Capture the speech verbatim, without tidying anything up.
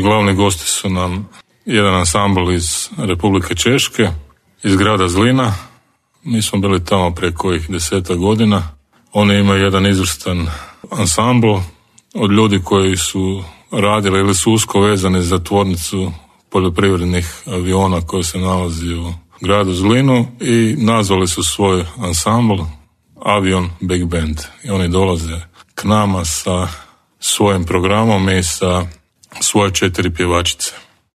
glavni gosti su nam jedan ansambl iz Republike Češke, iz grada Zlina. Mi smo bili tamo prije kojih deseta godina. Oni imaju jedan izvrstan ansambl od ljudi koji su radili ili su usko vezani za tvornicu poljoprivrednih aviona koji se nalazi u gradu Zlinu i nazvali su svoj ansambl Avion Big Band. I oni dolaze k nama sa svojim programom i sa svoje četiri pjevačice.